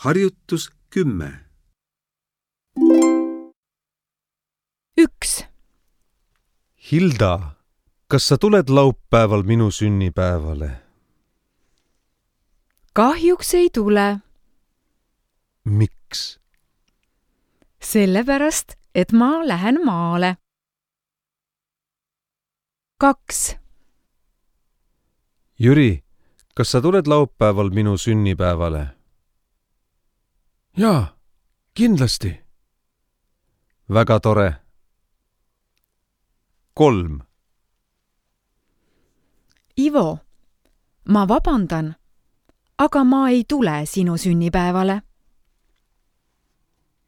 Harjutus 10. 1. Hilda, kas sa tuled laupäeval minu sünnipäevale? Kahjuks ei tule. Miks? Sellepärast, et ma lähen maale. 2. Jüri, kas sa tuled laupäeval minu sünnipäevale? Jaa, kindlasti. Väga tore. 3. Ivo, ma vabandan, aga ma ei tule sinu sünnipäevale.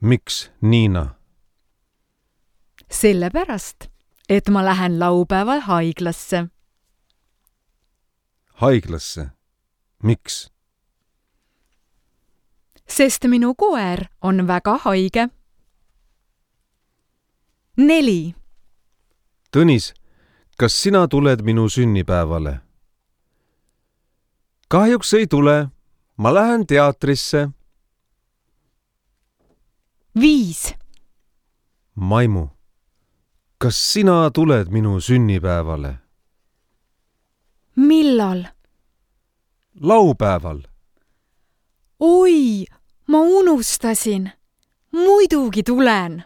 Miks, Niina? Sellepärast, et ma lähen laupäeval haiglasse. Haiglasse? Miks? Sest minu koer on väga haige. 4. Tõnis, kas sina tuled minu sünnipäevale? Kahjuks ei tule. Ma lähen teatrisse. 5. Maimu, kas sina tuled minu sünnipäevale? Millal? Laupäeval. Oi, ma unustasin. Muidugi tulen.